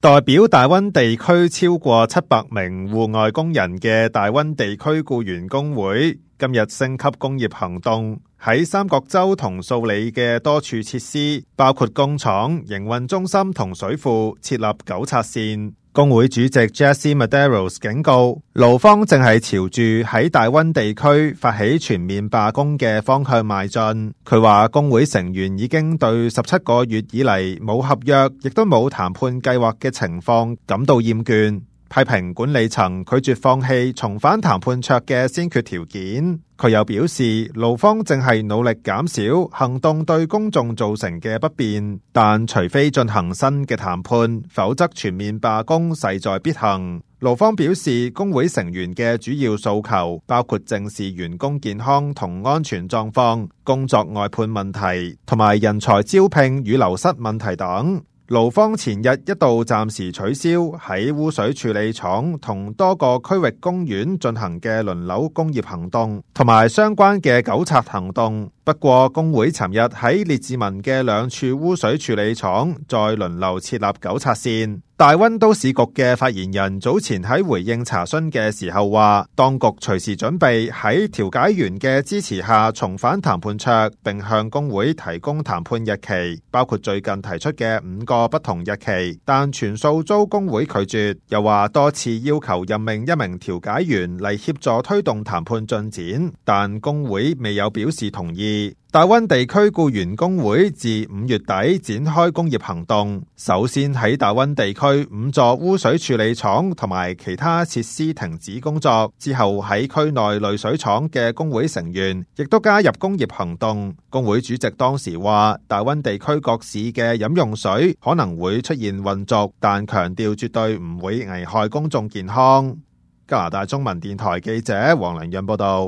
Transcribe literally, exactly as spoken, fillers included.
代表大溫地區超過七百名戶外工人嘅大溫地區僱員工會今日升級工業行動，喺三角洲同素里嘅多處設施，包括工廠、營運中心同水庫設立糾察線。工會主席 Jesse Medeiros 警告，勞方正係朝住喺大溫地區發起全面罷工嘅方向邁進。佢話工會成員已經對十七個月以嚟冇合約，亦都冇談判計劃嘅情況感到厭倦，批評管理層拒絕放棄重返談判桌嘅先決條件。佢又表示，勞方正係努力減少行動對公眾造成嘅不便，但除非進行新嘅談判，否則全面罷工勢在必行。勞方表示，工會成員嘅主要訴求包括正視員工健康同安全狀況、工作外判問題同埋人才招聘與流失問題等。勞方前日一度暫時取消喺污水處理廠同多個區域公園進行嘅輪流工業行動，同埋相關嘅糾察行動。不過，工會尋日喺列治文嘅兩處污水處理廠再輪流設立糾察線。大溫都市局嘅發言人早前喺回應查詢嘅時候話，當局隨時準備喺調解員嘅支持下重返談判桌，並向工會提供談判日期，包括最近提出嘅五個不同日期，但全數遭工會拒絕。又話多次要求任命一名調解員嚟協助推動談判進展，但工會未有表示同意。大溫地區僱員工會自五月底展開工業行動，首先喺大溫地區五座污水處理廠同埋其他設施停止工作，之後喺區內濾水廠嘅工會成員亦都加入工業行動。工會主席當時話，大溫地區各市嘅飲用水可能會出現混濁，但強調絕對唔會危害公眾健康。加拿大中文電台記者黃良潤報道。